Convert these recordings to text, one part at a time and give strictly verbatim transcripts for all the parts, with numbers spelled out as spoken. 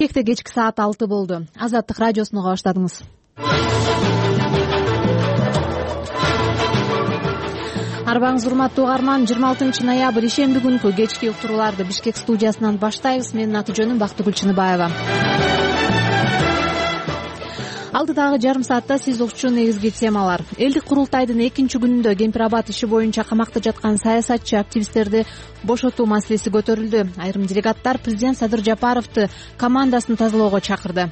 Бишкекте кечки саат алты болду. Азаттык радиосуну уга баштадыңыз. Арбаңыз урматтуу угарман, жыйырма алтынчы ноябрь ишемби күнкү кечки уктурууларды Бишкек студиясынан баштайбыз. Менин аты-жөнүм Бактыгүл Чыныбаева. Алдыдагы жарым саатта сиз угчу негизги темалар. Элдик курултайдын экинчи күнүндө Кемпир-Абад иши боюнча камакта жаткан саясатчы активисттерди бошотуу маселеси көтөрүлдү. Айрым делегаттар президент Садыр Жапаровду командасын тазалоого чакырды.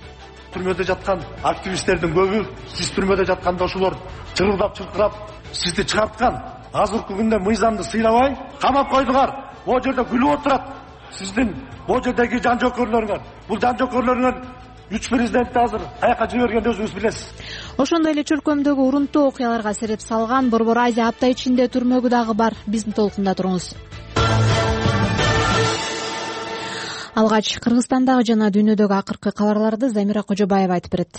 Түрмөдө жаткан активисттердин көбү, сиз түрмөдө жатканда ошолор чырылдап чыркырап сизди чыгарткан. Азыркы күндө мыйзамды сыйлабай камап койдуңар. Бул жерде күлүп отурат. Сиздин бул жердеги жан жокөрлөрүңөр, бул жан жокөрлөрүңөр үч президентти азыр каяка жибергенди өзүңүз билесиз. Ошондой эле чөлкөмдөгү урунттуу окуяларга сереп салган Борбор Азия апта ичинде түрмөгү дагы бар. Биздин толкунда туруңуз. Алгач Кыргызстандагы жана дүйнөдөгү акыркы кабарларды Замира Кожобаева айтып берет.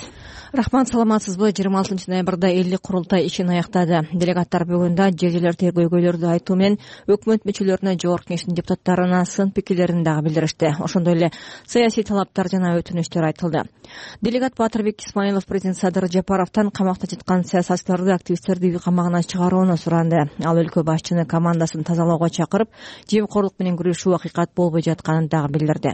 Рахмат, саламатсызбы? жыйырма алтынчы ноябрда элдик курултай ишин аяктады. Делегаттар бүгүн да жер-жерлер тергөөгөйлөрдү айтуу менен өкмөт мүчөлөрүнө Жогорку Кеңештин депутаттарына сын пикирлерин дагы билдиришти. Ошондой эле саясий талаптар жана өтүнүчтөр айтылды. Делегат Батырбек Исмаилов президент Садыр Жапаровдон камакта жаткан саясатчыларды, активисттерди үй камагынан чыгарууну суранды. Ал өлкө башчыны командасын тазалоого чакырып, жемкорлук менен күрөшүү акыйкат болбой жатканын дагы билдирди.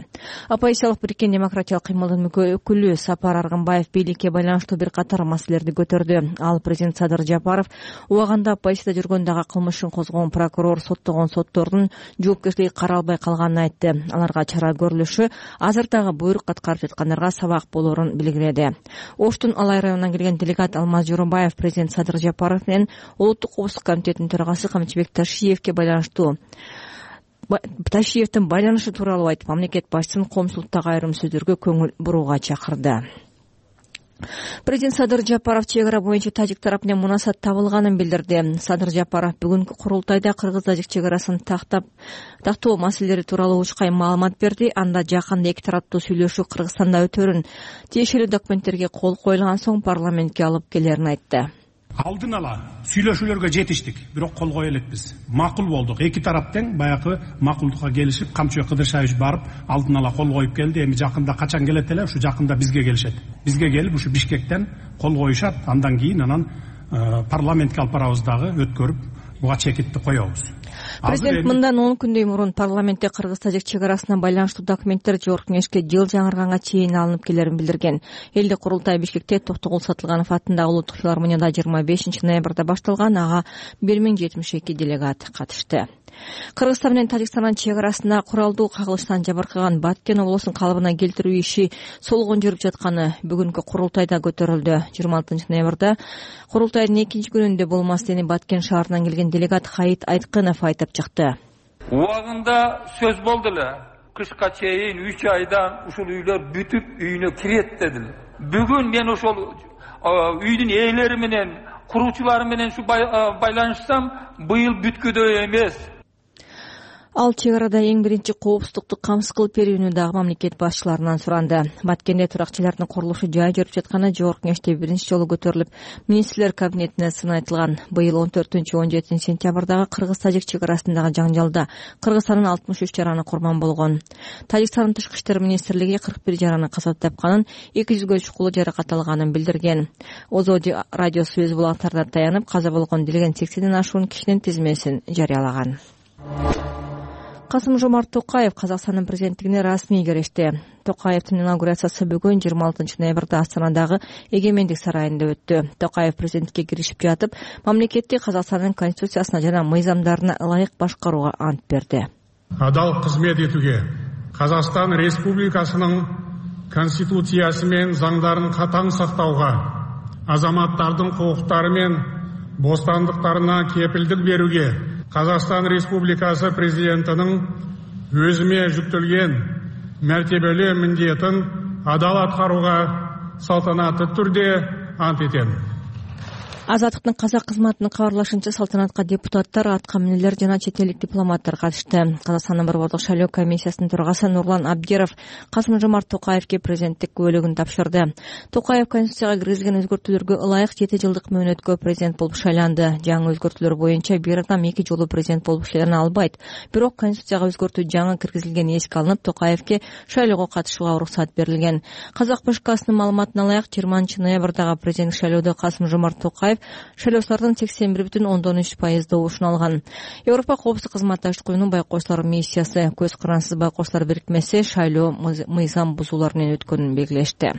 Оппозициялык бириккен демократиялык кыймылдын өкүлү Сапар Аргынбаев бийликке байланыштуу бир катар маселелерди көтөрдү. Ал президент Садыр Жапаров убагында оппозицияда жүргөндөгү кылмышын козгогон прокурор соттогон соттордун жоопкерчилиги каралбай калганын айтты. Аларга чара көрүлүшү азыр дагы буйрук аткарып жаткандарга сабак болоорун билгиледи. Оштун Алай районунан келген делегат Алмаз Жоробаев президент Садыр Жапаров менен Улуттук коопсуздук комитетинин төрагасы Камчыбек Ташиевке байланыштуу Ташиевдин байланышы тууралуу айтып, мамлекет башчысын коомчулуктагы айрым сөздөргө көңүл бурууга чакырды. Президент Садыр Жапаров чек ара боюнча тажик тарап менен мунасат табылганын билдирди. Садыр Жапаров бүгүнкү курултайда кыргыз-тажик чек арасын тактап тактоо маселелери тууралуу учкай маалымат берди. Анда жакында эки тараптуу сүйлөшүү Кыргызстанда өтөрүн, тиешелүү документтерге кол коюлган соң парламентке алып келерин айтты. Алдын ала сүйлөшүүлөргө жетиштик, бирок кол кое элекпиз. Макул болдук. Эки тарап тең баягы макулдукка келишип, Камчыбек Кыдыршаевич барып, алдын ала кол коюп келди. Эми жакында качан келет эле, ушу жакында бизге келишет. Бизге келип, ушу Бишкектен кол коюшат. Андан кийин анан парламентке алып барабыз дагы өткөрүп, буга чекитти коебуз. Президент мындан он күндөй мурун парламентте кыргыз-тажик чек арасына байланыштуу документтер Жогорку Кеңешке жыл жаңырганга чейин алынып келерин билдирген. Элдик курултай Бишкекте Токтогул Сатылганов атындагы улуттук филармонияда жыйырма бешинчи ноябрда башталган. Ага бир миң жетимиш эки делегат катышты. Кыргызстан менен Тажикстандын чек арасында куралдуу кагылыштан жабыркаган Баткен облусун калыбына келтирүү иши солгон жүрүп жатканы бүгүнкү курултайда көтөрүлдү. жыйырма алтынчы ноябрда курултайдын экинчи күнүндө болмастени Баткен шаарынан келген делегат Хаит Айткынов айтып чыкты. Убагында сөз болду эле. Кышка чейин үч айдан ушул үйлөр бүтүп үйүнө кирет дедилер. Бүгүн мен ошол үйдүн ээлери менен, куруучулары менен ушу байланышсам, быйыл бүткүдөй эмес. Ал чек арада эң биринчи коопсуздукту камсыз кылып берүүнү дагы мамлекет башчыларынан суранды. Баткенде туракчылардын курулушу жай жүрүп жатканы Жогорку Кеңеште биринчи жолу көтөрүлүп, министрлер кабинетине сын айтылган. Быйыл он төртүнчү он жетинчи сентябрдагы кыргыз-тажик чек арасындагы жаңжалда Кыргызстандын алтымыш үч жараны курман болгон. Тажикстандын тышкы иштер министрлиги кырк бир жараны каза тапканын, эки жүзгө чукулу жаракат алганын билдирген. Озоди радиосу өз булактарында таянып, каза болгон делген сексенден ашуун кишинин тизмесин жарыялаган. Касым-Жомарт Токаев Казакстандын президенттигине расмий киришти. Токаевдин инаугурациясы бүгүн жыйырма алтынчы ноябрда Астанадагы Эгемендик сарайында өттү. Токаев президентке киришип жатып, мамлекетти Казакстандын конституциясына жана мыйзамдарына ылайык башкарууга ант берди. Адал кызмет этүүгө, Казакстан Республикасынын конституциясы менен заңдарын катаң сактауга, азаматтардын укуктары мен бостандыктарына кепилдик берүүгө, Казакстан Республикасы президентinin өзүмө жүктөлгөн мәртебелүү міндетін адал аткарууга салтанатты түрде ант этем. Азаттыктын казак кызматынын кабарлашынча салтанатка депутаттар, аткаминерлер жана чет элдик дипломаттар катышты. Казакстандын борбордук шайлоо комиссиясынын төрагасы Нурлан Абдиров Касым-Жомарт Токаевге президенттик күбөлүгүн тапшырды. Токаев конституцияга киргизилген өзгөртүүлөргө ылайык жети жылдык мөөнөткө президент болуп шайланды. Жаңы өзгөртүүлөр боюнча бир адам эки жолу президент болуп шайлана албайт. Бирок конституцияга өзгөртүү жаңы киргизилгени эске алынып, Токаевге шайлоого катышууга уруксат берилген. Казак БШКсынын маалыматына ылайык жыйырманчы ноябрдагы президенттик шайлоодо Касым-Жомарт Токаев шайлоочулардын сексен бир бүтүн ондон үч пайыз добушун алган. Европа коопсуздук кызматташтык уюмунун байкоочулар миссиясы көз карансыз байкоочулар бирикмеси шайлоо мыйзам бузуулар менен өткөнүн белгилешти.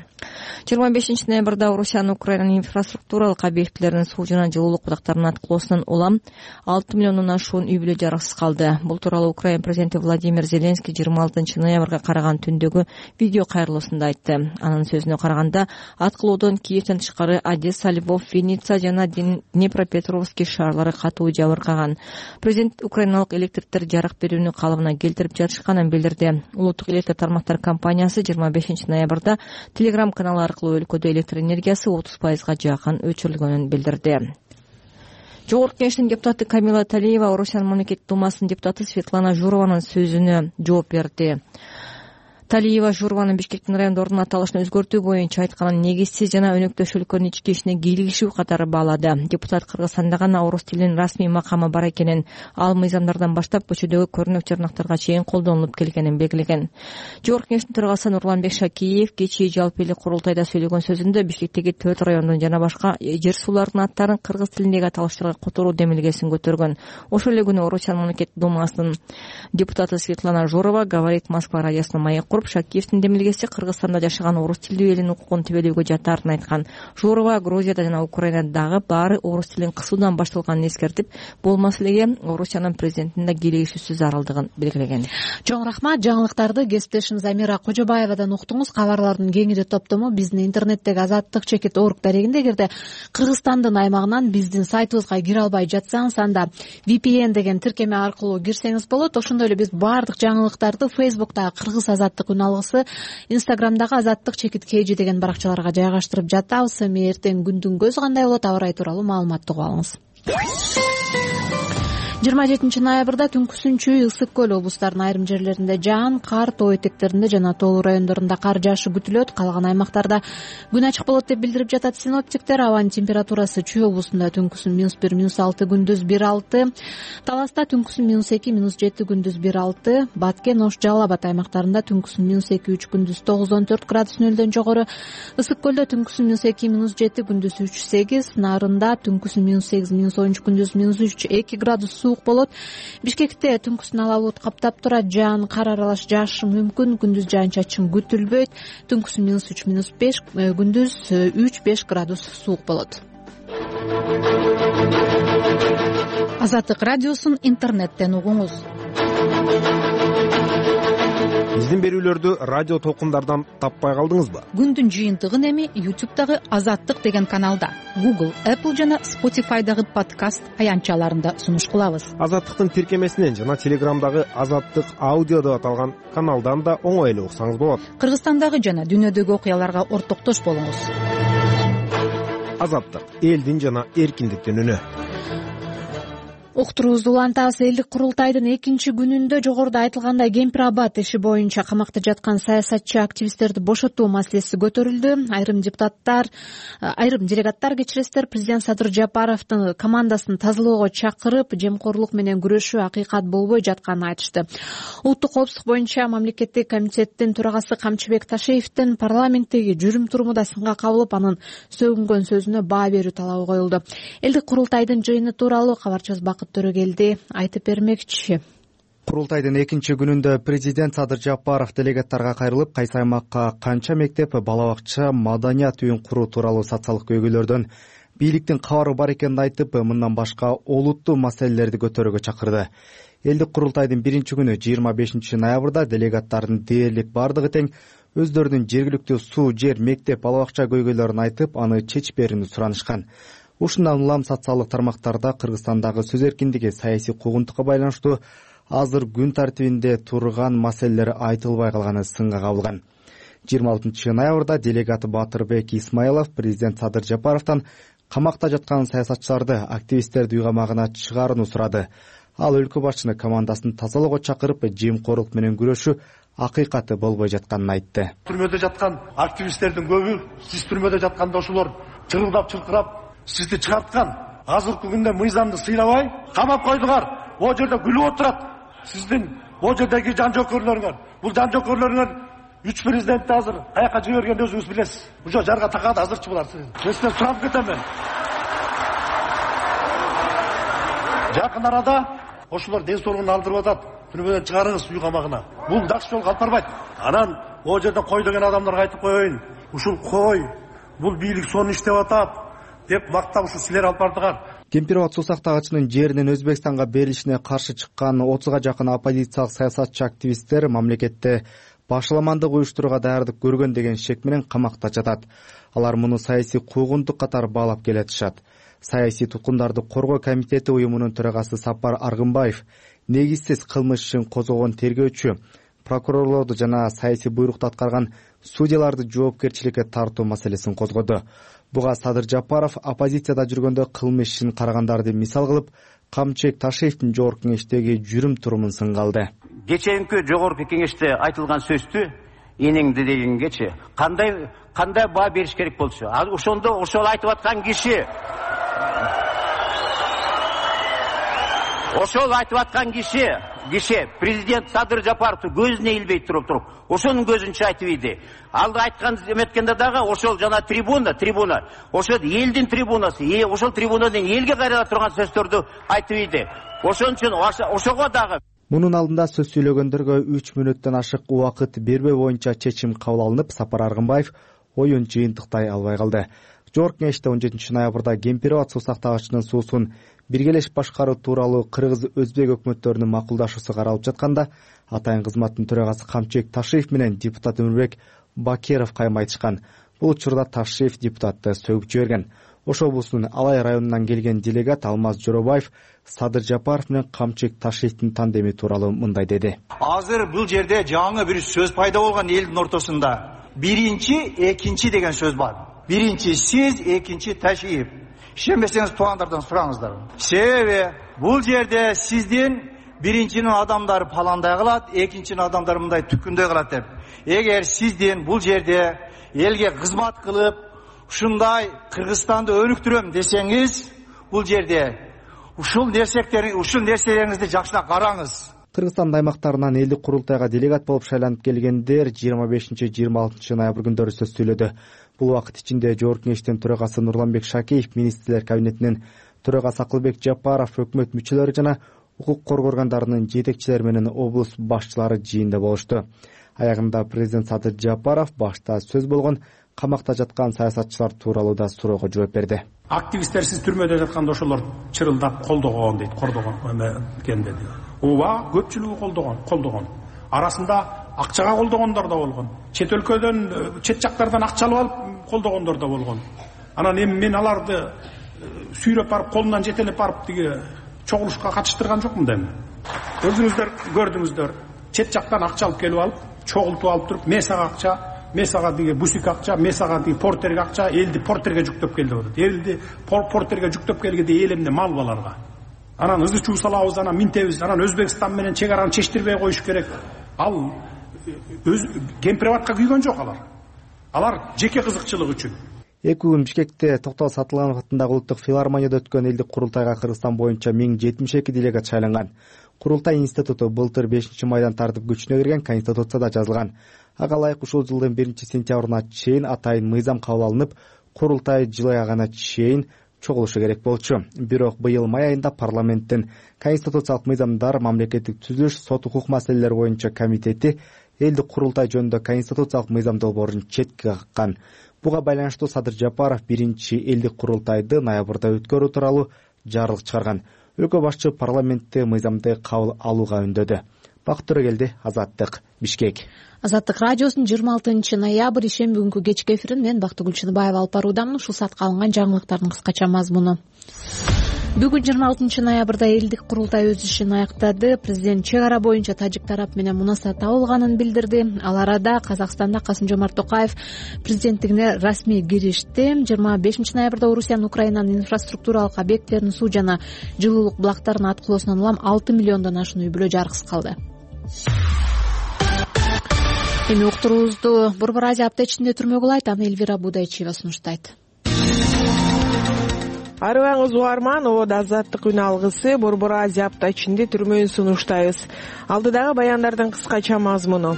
жыйырма бешинчи ноябрда Орусиянын Украинанын инфраструктуралык объектилеринин суу жана жылуулук бутактарынын аткылоосунан улам алты миллиондон ашуун үй бүлө жарыксыз калды. Бул тууралуу Украина президенти Владимир Зеленский жыйырма алтынчы ноябрга караган түндөгү видео кайрылуусунда айтты. Анын сөзүнө караганда, аткылоодон Киевден тышкары Одесса, Львов, Винница жана Днепропетровский шаарлары катуу жабыркаган. Президент украиналык электриктер жарык берүүнү калыбына келтирип жатышканын билдирди. Улуттук электр тармактар компаниясы жыйырма бешинчи ноябрда Telegram каналы аркылуу өлкөдө электр энергиясы отуз пайызга жакын өчүрүлгөнүн билдирди. Жогорку Кеңештин депутаты Камила Талиева Орусиянын мамлекеттик думасынын депутаты Светлана Журованын сөзүнө жооп берди. Талиева Журованын Бишкектин райондордун аталышын өзгөртүү боюнча айтканын негизсиз жана өнөктөш өлкөнүн ички ишине кийлигишүү катары баалады. Депутат Кыргызстанда гана орус тилинин расмий макамы бар экенин, ал мыйзамдардан баштап көчөдөгү көрүнөк жарнактарга чейин колдонулуп келгенин белгилеген. Жогорку Кеңештин төрагасы Нурланбек Шакиев кечээ жалпы элдик курултайда сөйлөгөн сөзүндө Бишкектеги төрт райондун жана башка жер суулардын аттарын кыргыз тилиндеги аталыштарга которуу демилгесин көтөргөн. Ошол эле күнү Орусиянын мамлекеттик думасынын депутаты Светлана Журова «Говорит Москва» радиосуна маек Шакиевдин демилгеси Кыргызстанда жашаган орус тилдүү элдин укугун тебелөөгө жатарын айткан. Журова Грузияда жана Украинадагы баары орус тилин кысуудан башталганын эскертип, бул маселеге Орусиянын президентинин да кийлигишүүсүз зарылдыгын белгилеген. Чоң рахмат. Жаңылыктарды кесиптешим Замира Кожобаевадан уктуңуз. Кабарлардын кеңири топтому биздин интернеттеги азаттык чекит орг дарегинде. Эгерде Кыргызстандын аймагынан биздин сайтыбызга кире албай жатсаңыз, анда ви пи эн деген тиркеме аркылуу кирсеңиз болот. Ошондой эле биз баардык жаңылыктарды Facebook'тагы Кыргыз азаттык күн алгысы, Instagram'дагы азаттык чекит kg деген баракчаларга жайгаштырып жатабыз. Эми эртең күндүн көзү кандай болот, аба ырайы тууралуу маалыматты угуп алыңыз. жыйырма жетинчи ноябрда түнкүсүнчү Ысык көл облустарынын айрым жерлеринде жаан, кар, тоо этектеринде жана тоолуу райондорунда кар жаашы күтүлөт. Калган аймактарда күн ачык болот деп билдирип жатат синоптиктер. Абанын температурасы Чүй облусунда түнкүсүн минус бир, минус алты, күндүз бир алты, Таласта түнкүсүн минус эки, минус жети, күндүз бир алты, Баткен, Ош, Жалал Абад аймактарында түнкүсүн минус эки, үч, күндүз тогуздон төрт градус нөлдөн жогору, Ысык көлдө түнкүсүн минус эки, минус жети, күндүз үч, сегиз, Нарында түнкүсүн минус сегиз, минус он үч, күндүз минус үч, эки градус суук болот. Бишкекте түнкүсүн ала булут каптап турат, жаан, кар аралаш жаашы мүмкүн, күндүз жаан-чачын күтүлбөйт. Түнкүсүн минус үч, минус беш, күндүз үч, беш градус суук болот. Азаттык радиосун интернеттен угуңуз. Биздин берүүлөрдү радио толкундардан таппай калдыңызбы? Күндүн жыйынтыгын эми YouTube'дагы Азаттык деген каналда, Google, Apple жана Spotify'дагы подкаст аянтчаларында сунуш кылабыз. Азаттыктын тиркемесинен жана Telegram'дагы Азаттык аудио деп аталган каналдан да оңой эле уксаңыз болот. Кыргызстандагы жана дүйнөдөгү окуяларга ортоктош болуңуз. Азаттык — элдин жана эркиндиктин үнү. Уктуруубузду улантабыз. Элдик курултайдын экинчи күнүндө жогоруда айтылгандай Кемпир Абад иши боюнча камакта жаткан саясатчы активисттерди бошотуу маселеси көтөрүлдү. Айрым депутаттар, айрым делегаттар кечиресиздер, президент Садыр Жапаровдун командасын тазалоого чакырып, жемкорлук менен күрөшүү акыйкат болбой жатканын айтышты. Улуттук коопсуздук боюнча мамлекеттик комитеттин төрагасы Камчыбек Ташеевдин парламенттеги жүрүм туруму да сынга кабылып, анын сөгүнгөн сөзүнө баа берүү талабы коюлду. Элдик курултайдын жыйыны тууралуу кабарчыбыз Бакыт Төрөгелди айтып бермекчи. Курултайдын экинчи күнүндө президент Садыр Жапаров делегаттарга кайрылып, кайсы аймакка канча мектеп, бала бакча, маданият үйүн куруу тууралуу социалдык көйгөйлөрдөн бийликтин кабары бар экенин айтып, мындан башка олуттуу маселелерди көтөрүүгө чакырды. Элдик курултайдын биринчи күнү жыйырма бешинчи ноябрда делегаттардын дээрлик бардыгы тең өздөрүнүн жергиликтүү суу, жер, мектеп, бала бакча көйгөйлөрүн айтып, аны чечпээрин суранышкан. Ушундан улам социалдык тармактарда Кыргызстандагы сөз эркиндиги, саясий куугунтукка байланыштуу азыр күн тартибинде турган маселелер айтылбай калганы сынга кабылган. жыйырма алтынчы ноябрда делегат Батырбек Исмаилов президент Садыр Жапаровдон камакта жаткан саясатчыларды, активисттерди үй камагына чыгаарыны сурады. Ал өлкө башчыны командасын тазалоого чакырып, жемкорлук менен күрөшүү акыйкаты болбой жатканын айтты. Түрмөдө жаткан активисттердин көбү, сиз түрмөдө жатканда ошолор чырылдап чыркырап сизди чыгарткан. Азыркы күндө мыйзамды сыйлабай камап койдуңар. О жерде күлүп отурат. Сиздин о жердеги жан жокөрлөрүңөр. Бул жан жокөрлөрүңөр үч президентти азыр каяка жибергенди өзүңүз билесиз. Ушо жарга такат азырчы булар. Сизден сурап кетем мен. Жакын арада ошолор ден соолугун алдырып атат. Түрмөдөн чыгарыңыз үй камагына. Бул жакшы жол калып барбайт. Анан о жерде кой деген адамдарга айтып коеюн. Ушул кой, бул бийлик сонун иштеп атат деп мактап ушу силер алып бардыңар. Кемпирабад суу сактагычынын жеринин Өзбекстанга берилишине каршы чыккан отузга жакын оппозициялык саясатчы активисттер мамлекетте башаламандык уюштурууга даярдык көргөн деген шек менен камакта жатат. Алар муну саясий куугунтук катары баалап келатышат. Саясий туткундарды коргоо комитети уюмунун төрагасы Сапар Аргынбаев негизсиз кылмыш ишин козгогон тергөөчү, прокурорлорду жана саясий буйрукту аткарган судьяларды жоопкерчиликке тартуу маселесин козгоду. Буга Садыр Жапаров оппозицияда жүргөндө кылмыш ишин карагандарды мисал кылып, Камчыбек Ташиевдин жогорку кеңештеги жүрүм турумун сынга алды. Кечээинки жогорку кеңеште айтылган сөздү энеңди дегенгечи кандай кандай баа бериш керек болчу? Ал ошондо ошол айтып аткан киши Ошол айтып аткан киши, киши президент Садыр Жапаровду көзүнө илбей туруп туруп, ошонун көзүнчө айтып иди. Ал айткан эметкенде дагы ошол жана трибуна, трибуна, ошол элдин трибунасы, ошол трибунадан элге кайрыла турган сөздөрдү айтып иди. Ошон үчүн ошого дагы мунун алдында сөз сүйлөгөндөргө үч мүнөттөн ашык убакыт бербөө боюнча чечим кабыл алынып, Сапар Аргынбаев оюн жыйынтыктай албай калды. Жогорку кеңеште он жетинчи ноябрда Кемпирабад суу сактагычынын суусун биргелешип башкаруу тууралуу кыргыз-өзбек өкмөттөрүнүн макулдашуусу каралып жатканда, атайын кызматтын төрагасы Камчыбек Ташиев менен депутат Өмүрбек Бакеров кайма айтышкан. Бул учурда Ташиев депутатты сөгүп жиберген. Ош облусунун Алай районунан келген делегат Алмаз Жоробаев Садыр Жапаров менен Камчыбек Ташиевдин тандеми тууралуу мындай деди. Азыр бул жерде жаңы бир сөз пайда болгон элдин ортосунда. Биринчи, экинчи деген сөз бар. Биринчи сиз, экинчи Ташиев. Ишенбесеңиз туугандардан сураңыздар. Себеби бул жерде сиздин биринчинин адамдары паландай кылат, экинчинин адамдары мындай түккүндөй кылат деп. Эгер сиздин бул жерде элге кызмат кылып, ушундай Кыргызстанды өнүктүрөм десеңиз, бул жерде ушул нерселерин, ушул нерселериңизди жакшылап караңыз. Кыргызстан аймактарынан элдик курултайга делегат болуп шайланып келгендер жыйырма бешинчи жыйырма алтынчы ноябрь күндөрү сөз сүйлөдү. Бул убакыт ичинде жогорку кеңештин төрагасы Нурланбек Шакеев, министрлер кабинетинин төрагасы Акылбек Жапаров, өкмөт мүчөлөрү жана укук коргоо органдарынын жетекчилери менен облус башчылары жыйында болушту. Аягында президент Садыр Жапаров башта сөз болгон камакта жаткан саясатчылар тууралуу да суроого жооп берди. Активисттер сиз түрмөдө жатканда ошолор чырылдап колдогон дейт, кордогон экен деди. Ооба, көпчүлүгү колдогон, колдогон. Арасында акчага колдогондор да болгон. Чет өлкөдөн, чет жактардан акча алып алып колдогондор да болгон. Анан эми мен аларды сүйрөп барып, колунан жетелеп барып тиги чогулушка катыштырган жокмун дейм. Өзүңүздөр көрдүңүздөр. Чет жактан акча алып келип алып, чогултуп алып туруп, мен сага акча, мен сага диги бусик акча, мен сага диги портерге акча, элди портерге жүктөп келди деп. Элди портерге жүктөп келгенде эл эмне мал баларга. Анан ызы чуу салабыз, анан минтебиз, анан Өзбекстан менен чек араны чечтирбей коюш керек. Ал өз Кемпирабадка күйгөн жок алар. Алар жеке кызыкчылык үчүн. Эки күн Бишкекте Токтол Сатылганов атындагы улуттук филармонияда өткөн элдик курултайга Кыргызстан боюнча миң жетимиш эки делегат шайланган. Курултай институту былтыр бешинчи майдан тартып күчүнө кирген Конституцияда жазылган. Ага ылайык ушул жылдын биринчи сентябрына чейин атайын мыйзам кабыл алынып, курултай жыл аягына чейин чогулушу керек болчу. Бирок быйыл май айында парламенттин конституциялык мыйзамдар, мамлекеттик түзүлүш, сот укук маселелери боюнча комитети элдик курултай жөнүндө конституциялык мыйзам долбоорун четке каккан. Буга байланыштуу Садыр Жапаров биринчи элдик курултайды ноябрда өткөрүү тууралуу жарлык чыгарган. Өлкө башчы парламентте мыйзамды кабыл алууга үндөдү. Бакыт Төрөгелди, Азаттык, Бишкек. Азаттык радиосунун жыйырма алтынчы ноябрь ишемби күнкү кечки эфирин мен Бактыгүл Чыныбаева алып баруудамын. Ушул саатка алынган жаңылыктардын кыскача мазмуну. Бүгүн жыйырма алтынчы ноябрда элдик курултай өз ишин аяктады. Президент чек ара боюнча тажик тарап менен мунасабат табылганын билдирди. Ал арада Казакстанда Касым-Жомарт Токаев президенттигине расмий киришти. жыйырма бешинчи ноябрда Орусиянын Украинанын инфраструктуралык объекттеринин суу жана жылуулук булактарынын аткылоосунан улам алты миллиондон ашуун үй бүлө жарыксыз калды. Эми уктуруубузду Борбор Азия апта ичинде түрмөгө улайт. Аны Элвира Будайчиева сунуштайт. Арыбаңыз угарман, ободо азаттык үн алгысы Борбор Азия апта ичинде түрмөөн сунуштайбыз. Алдыдагы баяндардын кыскача мазмуну.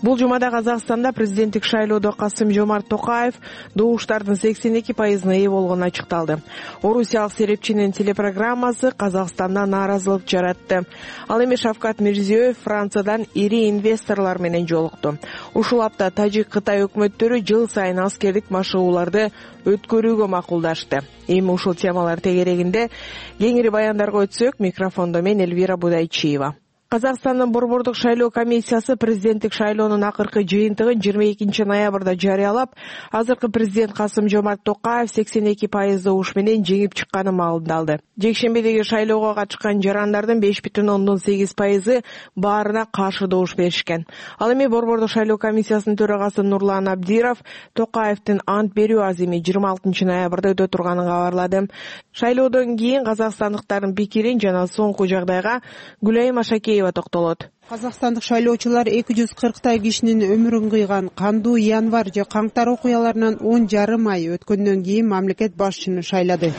Бул жумада Казакстанда президенттик шайлоодо Касым-Жомарт Токаев добуштардын сексен эки пайызына ээ болгону ачыкталды. Орусиялык серепчинин телепрограммасы Казакстанда нааразылык жаратты. Ал эми Шавкат Мирзиёев Франциядан ири инвесторлор менен жолукту. Ушул апта Тажик-Кытай өкмөттөрү жыл сайын аскердик машыгууларды өткөрүүгө макулдашты. Эми ушул темалар тегерегинде кеңири баяндарга өтсөк, микрофондо мен Элвира Будайчиева. Казакстандын борбордук шайлоо комиссиясы президенттик шайлоонун акыркы жыйынтыгын жыйырма экинчи ноябрда жарыялап, азыркы президент Касым-Жомарт Токаев сексен эки пайыз добуш менен жеңип чыкканын маалымдалды. Жекшембидеги шайлоого катышкан жарандардын беш бүтүн ондон сегиз пайызы баарына каршы добуш беришкен. Ал эми борбордук шайлоо комиссиясынын төрагасы Нурлан Абдиров Токаевдин ант берүү азими жыйырма алтынчы ноябрда өтө турганын кабарлады. Шайлоодон кийин казакстандыктардын пикирин жана соңку жагдайга Гүлайым Ашакеева токтолот. Казакстандык шайлоочулар эки жүз кырктай кишинин өмүрүн кыйган кандуу январь же каңтар окуяларынан он жарым ай өткөндөн кийин мамлекет башчыны шайлады.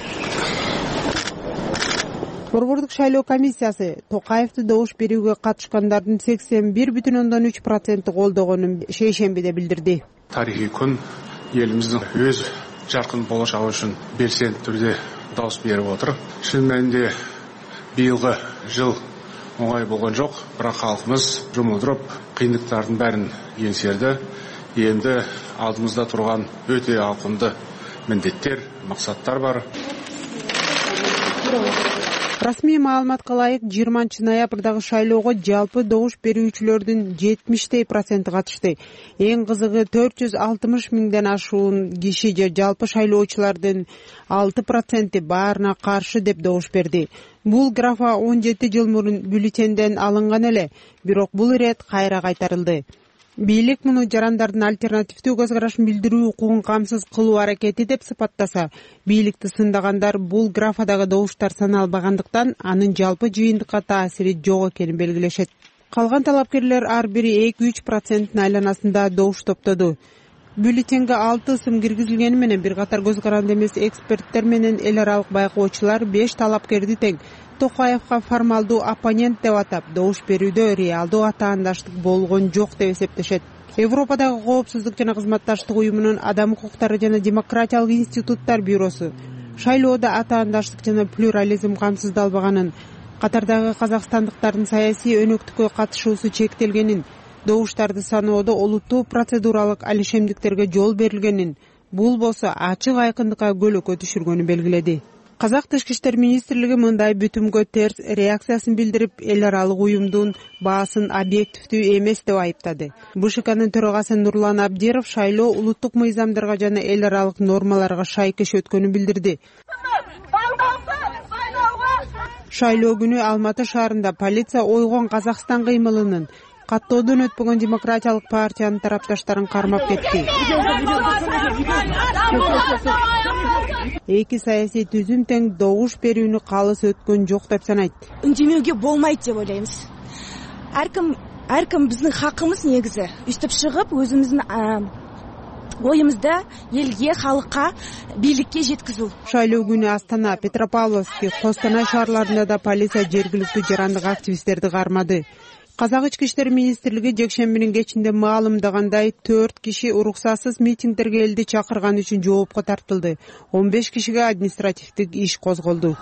Борбордук шайлоо комиссиясы Токаевди добуш берүүгө катышкандардын сексен бир бүтүн ондон үч проценти колдогонун шейшембиде билдирди. Тарихий күн элибиздин өз жаркын болочогу үчүн белсенди түрдө добуш берип отур. Чын мәнинде быйылгы жыл оңай болгон жок, бирок халкыбыз жұмылдырып, кыйындыктардын бәрин еңсерди. Эми алдымызда турган өтө ауқымды міндеттер, максаттар бар. Расмий маалыматка ылайык жыйырманчы ноябрдагы шайлоого жалпы добуш берүүчүлөрдүн жетимиштей проценти катышты. Эң кызыгы төрт жүз алтымыш миңден ашуун киши же жалпы шайлоочулардын алты проценти баарына каршы деп добуш берди. Бул графа он жети жыл мурун бюллетенден алынган эле, бирок бул ирет кайра кайтарылды. Бийлик муну жарандардын альтернативдүү көз карашын билдирүү укугун камсыз кылуу аракети деп сыпаттаса, бийликти сындагандар бул графадагы добуштар саналбагандыктан анын жалпы жыйынтыкка таасири жок экенин белгилешет. Калган талапкерлер ар бири эки үч проценттин айланасында добуш топтоду. Бюллетенге алты ысым киргизилгени менен бир катар көз каранды эмес эксперттер менен эл аралык байкоочулар беш талапкерди тең Токаевга формалдуу оппонент деп атап, добуш берүүдө реалдуу атаандаштык болгон жок деп эсептешет. Европадагы коопсуздук жана кызматташтык уюмунун адам укуктары жана демократиялык институттар бюросу шайлоодо атаандаштык жана плюрализм камсыздалбаганын, катардагы казакстандыктардын саясий өнөктүккө катышуусу чектелгенин, добуштарды саноодо олуттуу процедуралык алишемдиктерге жол берилгенин, бул болсо ачык айкындыкка көлөкө түшүргөнүн белгиледи. Казак Тышкы иштер министрлиги мындай бүтүмгө терс реакциясын билдирип, эл аралык уюмдун баасын объективдүү эмес деп айыптады. БШКнын төрагасы Нурлан Абдиров шайлоо улуттук мыйзамдарга жана эл аралык нормаларга шайкеш өткөнүн билдирди. Шайлоо күнү Алматы шаарында полиция ойгон Казакстан кыймылынын, каттоодон өтпөгөн демократиялык партиянын тарапташтарын кармап кетти. Эки саясий түзүм тең добуш берүүнү калыс өткөн жок деп санайт. Үндемөөгө болмойт деп ойлойбуз. Ар ким ар ким биздин хакыбыз негизи үстүп чыгып өзүбүздүн оюмузду элге, халыкка, бийликке жеткизүү. Шайлоо күнү Астана, Петропавловск, Костанай шаарларында да полиция жергиликтүү жарандык активисттерди кармады. Казак ички иштер министрлиги жекшембинин кечинде маалымдагандай төрт киши уруксатсыз митингдерге элди чакырган үчүн жоопко тартылды. он беш кишиге административдик иш козголду.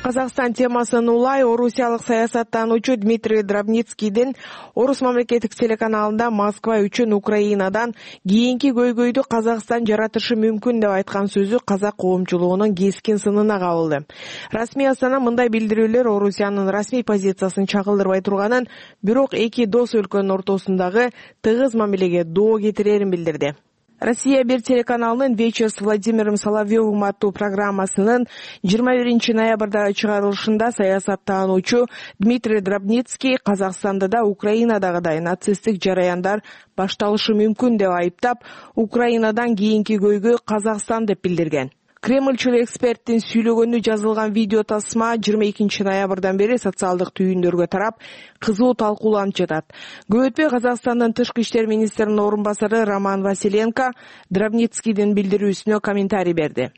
Казакстан темасын улай орусиялык саясаттануучу Дмитрий Дробницкийдин Орус мамлекеттик телеканалында Москва үчүн Украинадан кийинки көйгөйдү Казакстан жаратышы мүмкүн деп айткан сөзү казак коомчулугунун кескин сынына кабылды. Расмий Астана мындай билдирүүлөр Орусиянын расмий позициясын чагылдырбай турганын, бирок эки дос өлкөнүн ортосундагы тыгыз мамилеге доо кетирерин билдирди. Россия бир телеканалынын «Вечер с Владимиром Соловьевым» аттуу программасынын жыйырма биринчи ноябрдагы чыгарылышында саясаттануучу Дмитрий Дробницкий Казакстанда да Украинадагыдай нацисттик жараяндар башталышы мүмкүн деп айыптап, Украинадан кийинки көйгөй Казакстан деп билдирген. Кремльчил эксперттин сүйлөгөнү жазылган видео тасма жыйырма экинчи ноябрдан бери социалдык түйүндөргө тарап, кызуу талкууланып жатат. Көп өтпөй Казакстандын тышкы иштер министринин орун басары Роман Василенко Дробницкийдин билдирүүсүнө комментарий берди.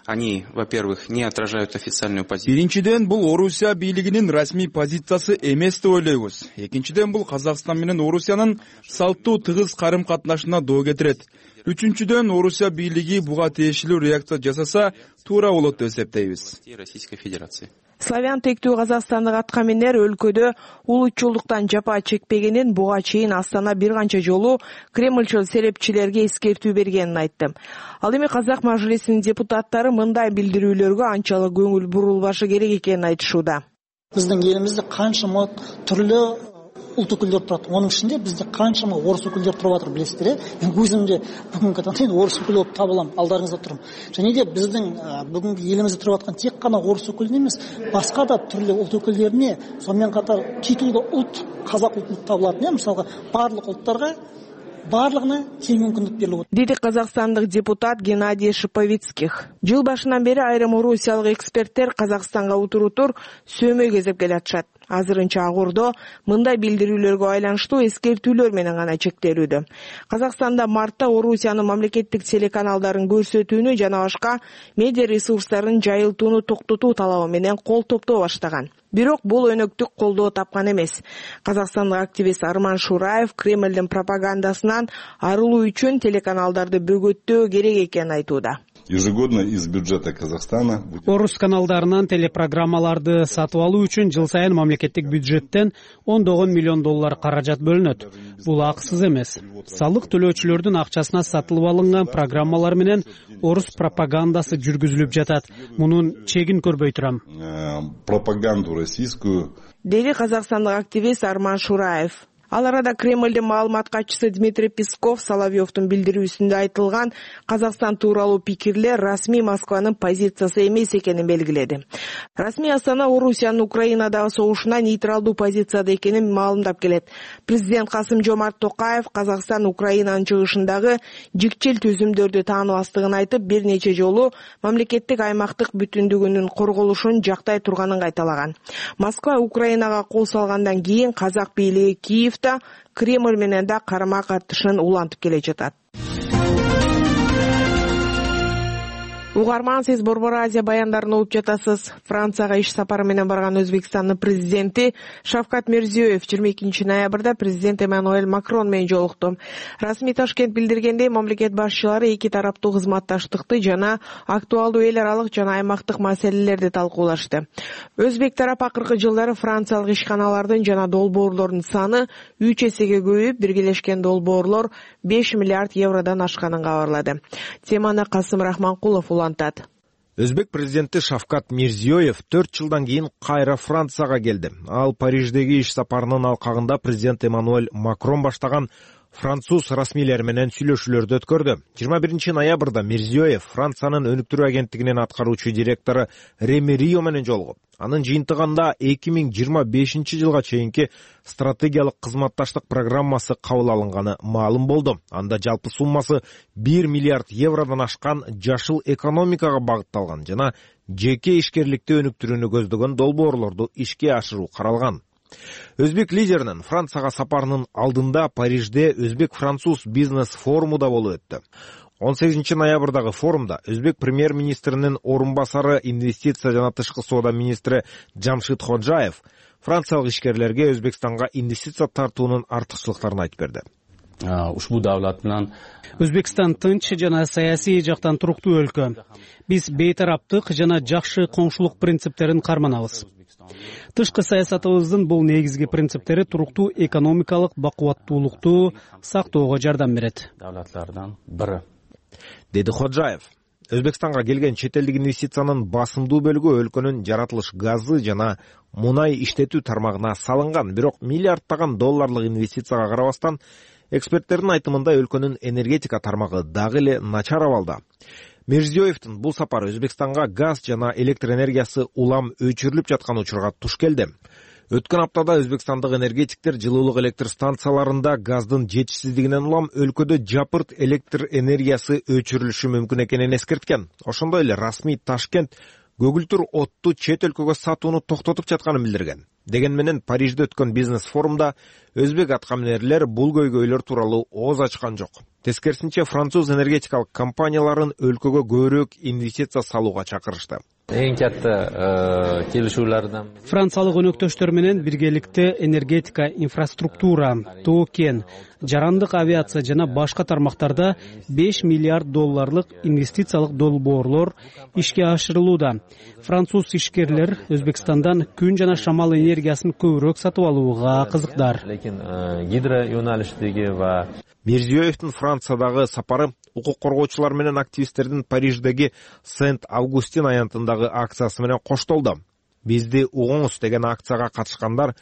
Они, во-первых, не отражают официальную позицию. Биринчиден, бул Орусия бийлигинин расмий позициясы эмес деп ойлойбуз. Экинчиден, бул Казакстан менен Орусиянын салттуу тыгыз карым-катнашына доо кетирет. Үчүнчүдөн, Орусия бийлиги буга тиешелүү реакция жасаса, туура болот деп эсептейбиз. Российской Федерации. Славян тектүү казакстандык аткаминер өлкөдө улутчулдуктан жапа чекпегенин буга чейин Астана бир канча жолу Кремльчил серепчилерге эскертүү бергенин айтты. Ал эми Казак мажлисинин депутаттары мындай билдирүүлөргө анчалык көңүл бурулбашы керек экенин айтышууда. Биздин элибизде канчама түрлүү улт өкүлдөр турат. Онун ичинде бизде канчама орус өкүлдөр туруп атыр, билесиздер э? Мен өзүм де бүгүнкү таңда орус өкүлү болуп табылам, алдарыңызда турам. Және де биздин бүгүнкү элибизде туруп аткан тек гана орус өкүлүнө эмес, башка да түрлүү улт өкүлдөрүнө, сонун катар титулдуу улт, казак улту табылат э? Мисалга, барлык улттарга барлыгына тең мүмкүндүк берилет. Деди казакстандык депутат Геннадий Шиповицких. Жыл башынан бери айрым орусиялык эксперттер Казакстанга утурутур сөөмөй кезеп келатышат. Азырынча Агурдо мындай билдирүүлөргө айланыштуу эскертүүлөр менен гана чектелүүдө. Казакстанда мартта Орусиянын мамлекеттик телеканалдарын көрсөтүүнү жана башка медиа ресурстарын жайылтууну токтотуу талабы менен кол топтоо баштаган. Бирок бул өнөктүк колдоо тапкан эмес. Казакстандык активист Арман Шураев Кремлдин пропагандасынан арылуу үчүн телеканалдарды бөгөттөө керек экенин айтууда. Ежегодно из бюджета Казахстана Орус каналдарынан телепрограммаларды сатып алуу үчүн жыл сайын мамлекеттик бюджеттен ондогон миллион доллар каражат бөлүнөт. Бул акысыз эмес. Салык төлөөчүлөрдүн акчасына сатылып алынган программалар менен орус пропагандасы жүргүзүлүп жатат. Мунун чегин көрбөй турам. Пропаганду российскую. Деди казакстандык активист Арман Шураев. Ал арада Кремлдин маалымат катчысы Дмитрий Песков Соловьевдун билдирүүсүндө айтылган Казакстан тууралуу пикирлер расмий Москванын позициясы эмес экенин белгиледи. Расмий Астана Орусиянын Украинадагы согушуна нейтралдуу позицияда экенин маалымдап келет. Президент Касым-Жомарт Токаев Казакстан Украинанын чыгышындагы жикчил түзүмдөрдү тааныбастыгын айтып, бир нече жолу мамлекеттик аймактык бүтүндүгүнүн корголушун жактай турганын кайталаган. Москва Украинага кол салгандан кийин казак бийлиги Киев Кремль менен да карама катышын улантып келе жатат. Угарман, сиз Борбор Азия баяндарын угуп жатасыз. Францияга иш сапары менен барган Өзбекстандын президенти Шавкат Мирзиёев жыйырма экинчи ноябрда президент Эммануэль Макрон менен жолукту. Расмий Ташкент билдиргендей, мамлекет башчылары эки тараптуу кызматташтыкты жана актуалдуу эл аралык жана аймактык маселелерди талкуулашты. Өзбек тарап акыркы жылдары франциялык ишканалардын жана долбоорлордун саны үч эсеге көбөйүп, биргелешкен долбоорлор беш миллиард евродон ашканын кабарлады. Теманы Касым Рахманкулов Өзбек президенти Шавкат Мирзиёев төрт жылдан кийин кайра Францияга келди. Ал Париждеги иш сапарынын алкагында президент Эммануэль Макрон баштаган француз расмийлери менен сүйлөшүүлөрдү өткөрдү. жыйырма биринчи ноябрда Мирзиёев Франциянын өнүктүрүү агенттигинин аткаруучу директору Реми Рио менен жолугуп, анын жыйынтыгында эки миң жыйырма бешинчи жылга чейинки стратегиялык кызматташтык программасы кабыл алынганы маалым болду. Анда жалпы суммасы бир миллиард евродон ашкан жашыл экономикага багытталган жана жеке ишкерликти өнүктүрүүнү көздөгөн долбоорлорду ишке ашыруу каралган. Өзбек лидеринин Францияга сапарынын алдында Парижде Өзбек-француз бизнес форуму да болуп өттү. он сегизинчи ноябрдагы форумда Өзбек премьер-министринин орун басары, инвестиция жана тышкы соода министри Жамшид Ходжаев франциялык ишкерлерге Өзбекстанга инвестиция тартуунун артыкчылыктарын айтып берди. Ушбу давлат менен Өзбекстан тынч жана саясий жактан туруктуу өлкө. Биз бейтараптык жана жакшы коңшулук принциптерин карманабыз. Тышкы саясатыбыздын бул негизги принциптери туруктуу экономикалык бакубаттуулукту сактоого жардам берет. Давлатлардан бири, деди Ходжаев. Өзбекстанга келген чет элдик инвестициянын басымдуу бөлүгү өлкөнүн жаратылыш газы жана мунай иштетүү тармагына салынган. Бирок миллиарддаган долларлык инвестицияга карабастан, эксперттердин айтымында өлкөнүн энергетика тармагы дагы эле начар абалда. Мирзиёевдин бул сапары Өзбекстанга газ жана электр энергиясы улам өчүрүлүп жаткан учурга туш келди. Өткөн аптада өзбекстандык энергетиктер жылуулук электр станцияларында газдын жетишсиздигинен улам өлкөдө жапырт электр энергиясы өчүрүлүшү мүмкүн экенин эскерткен. Ошондой эле расмий Ташкент көгүлтүр отту чет өлкөгө сатууну токтотуп жатканын билдирген. Деген менен Парижде өткөн бизнес форумда өзбек аткаминерлер бул көйгөйлөр тууралуу ооз ачкан жок. Тескерисинче, француз энергетикалык компанияларын өлкөгө көбүрөөк инвестиция салууга чакырышты. Эң катта келишүүлөрдөн франциялык өнөктөштөр менен биргеликте энергетика, инфраструктура, тоо кен, жарандык авиация жана башка тармактарда беш миллиард долларлык инвестициялык долбоорлор ишке ашырылууда. Француз ишкерлер Өзбекстандан күн жана шамал энергиясын көбүрөөк сатып алууга кызыктар. Лекин гидро юналиштиги ва Мирзиёевдин Франциядагы сапары укук коргоочулар менен активисттердин Париждеги Сент-Августин аянтындагы акциясы менен коштолду. Бизди угуңуз деген акцияга катышкандар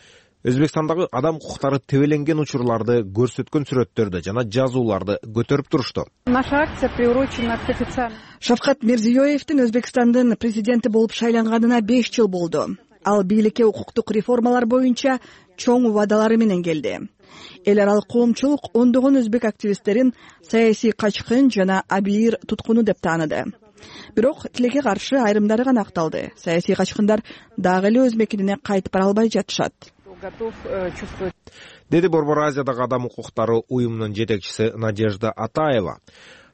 Өзбекстандагы адам укуктары тебеленген учурларды көрсөткөн сүрөттөрдү жана жазууларды көтөрүп турушту. Наша акция приурочена к официальному. Шавкат Мирзиёевдин Өзбекстандын президенти болуп шайланганына беш жыл болду. Ал бийликке укуктук реформалар боюнча чоң убадалары менен келди. Эл аралык коомчулук ондогон өзбек активисттерин саясий качкын жана абийир туткуну деп тааныды. Бирок тилекке каршы айрымдары гана акталды. Саясий качкындар дагы эле өз мекенине кайтып бара албай жатышат. Деди Борбор Азиядагы адам укуктары уюмунун жетекчиси Надежда Атаева.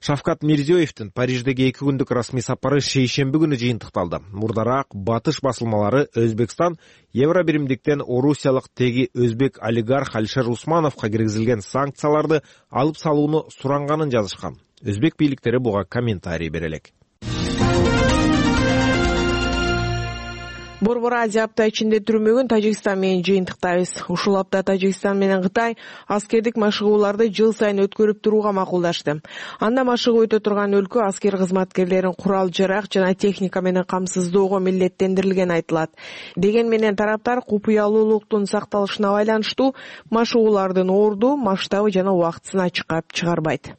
Шавкат Мирзиёевдин Париждеги эки күндүк расмий сапары шейшемби күнү жыйынтыкталды. Мурдараак батыш басылмалары Өзбекстан Евробиримдиктен орусиялык теги өзбек олигарх Алишер Усмановго киргизилген санкцияларды алып салууну суранганын жазышкан. Өзбек бийликтери буга комментарий бере элек. Борбор Азия апта ичинде түрмөгүн Тажикстан менен жыйынтыктайбыз. Ушул апта Тажикстан менен Кытай аскердик машыгууларды жыл сайын өткөрүп турууга макулдашты. Анда машыгуу өтө турган өлкө аскер кызматкерлерин курал жарак жана техника менен камсыздоого милдеттендирилгени айтылат. Деген менен тараптар купуялуулуктун сакталышына байланыштуу машыгуулардын орду, масштабы жана убактысын ачыкка чыгарбайт.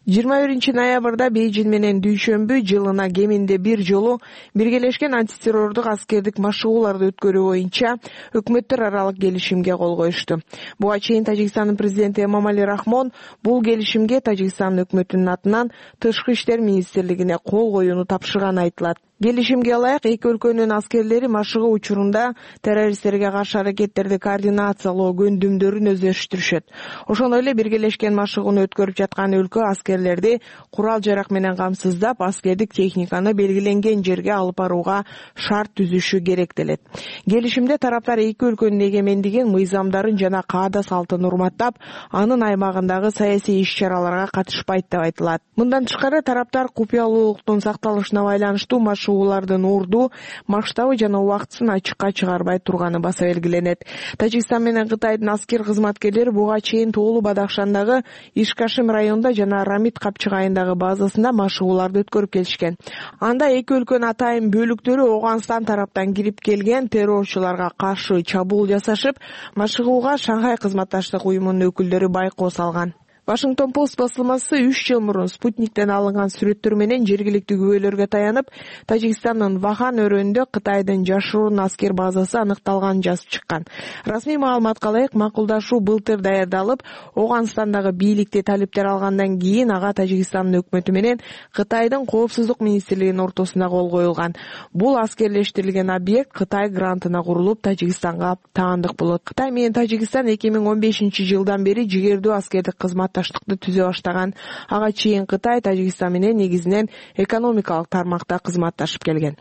жыйырма биринчи ноябрда Бейжин менен дүйшөмбү жылына кеминде бир жолу биргелешкен антитеррордук аскердик машыгууларды өткөрүү боюнча өкмөттөр аралык келишимге кол коюшту. Буга чейин Тажикстандын президенти Эмомали Рахмон бул келишимге Тажикстан өкмөтүнүн атынан Тышкы иштер министрлигине кол коюуну тапшырганы айтылат. Келишимге ылайык эки өлкөнүн аскерлери машыгуу учурунда террористтерге каршы аракеттерди координациялоо көндүмдөрүн өздөштүрүшөт. Ошондой эле биргелешкен машыгууну өткөрүп жаткан өлкө аскерлерди курал жарак менен камсыздап, аскердик техниканы белгиленген жерге алып барууга шарт түзүшү керектелет. Келишимде тараптар эки өлкөнүн эгемендигин, мыйзамдарын жана каада салтын урматтап, анын аймагындагы саясий иш-чараларга катышпайт деп айтылат. Мындан тышкары тараптар купуялуулуктун сакталышына байланыштуу машыгуулардын орду, масштабы жана убактысын ачыкка чыгарбай турганы баса белгиленет. Тажикстан менен Кытайдын аскер кызматкерлери буга чейин Тоолу Бадахшандагы Ишкашим районунда жана Рамит капчыгайындагы базасында машыгууларды өткөрүп келишкен. Анда эки өлкөнүн атайын бөлүктөрү Оогунстан тараптан кирип келген террорчуларга каршы чабуул жасашып, машыгууга Шанхай кызматташтык уюмунун өкүлдөрү байкоо салган. Вашингтон Пост басылмасы үч жыл мурун спутниктен алынган сүрөттөр менен жергиликтүү күбөлөргө таянып, Тажикстандын Вахан өрөөнүндө Кытайдын жашыруун аскер базасы аныкталганын жазып чыккан. Расмий маалыматка ылайык, макулдашуу былтыр даярдалып, Оогунстандагы бийликти талиптер алгандан кийин ага Тажикстандын өкмөтү менен Кытайдын коопсуздук министрлигинин ортосунда кол коюлган. Бул аскерлештирилген объект Кытай грантына курулуп, Тажикстанга таандык болот. Кытай менен Тажикстан эки миң он бешинчи жылдан бери жигердүү аскердик кызмат таштыкты түзө баштаган. Ага чейин Кытай Тажикстан менен негизинен экономикалык тармакта кызматташып келген.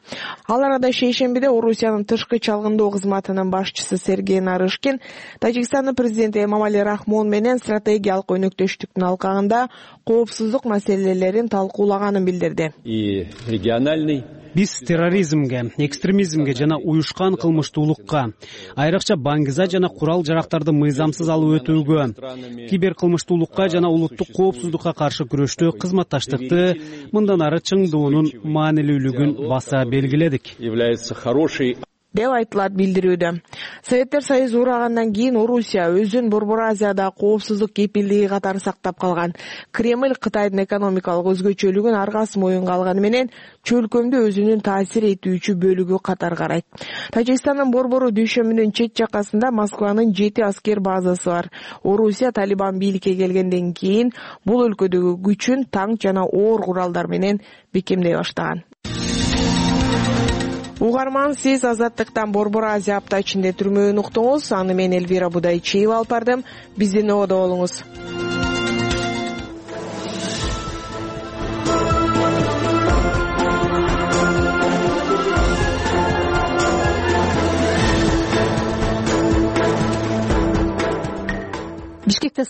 Ал арада шейшембиде Орусиянын тышкы чалгындоо кызматынын башчысы Сергей Нарышкин Тажикстандын президенти Эмомали Рахмон менен стратегиялык өнөктөштүктүн алкагында коопсуздук маселелерин талкуулаганын билдирди. И региональный биз терроризмге, экстремизмге жана уюшкан кылмыштуулукка, айрыкча баңгиза жана курал жарактарды мыйзамсыз алып өтүүгө, киберкылмыштуулукка жана улуттук коопсуздукка каршы күрөштө кызматташтыкты мындан ары чыңдоонун маанилүүлүгүн баса белгиледик деп айтылат билдирүүдө. Советтер Союзу урагандан кийин Орусия өзүн Борбор Азияда коопсуздук кепилдиги катары сактап калган. Кремль Кытайдын экономикалык өзгөчөлүгүн аргасы моюнга алганы менен чөлкөмдү өзүнүн таасир этүүчү бөлүгү катары карайт. Тажикстандын Борбору дүйшөмүнүн чет жакасында Москванын жети аскер базасы бар. Орусия Талибан бийликке келгенден кийин бул өлкөдөгү күчүн танк жана оор куралдар менен бекемдей баштаган. Угарман, сиз Азаттыктан Борбор Азия апта ичинде түрмөөнү уктуңуз. Аны мен Элвира Будайчиева алып бардым. Биздин ободо болуңуз. Бишкекте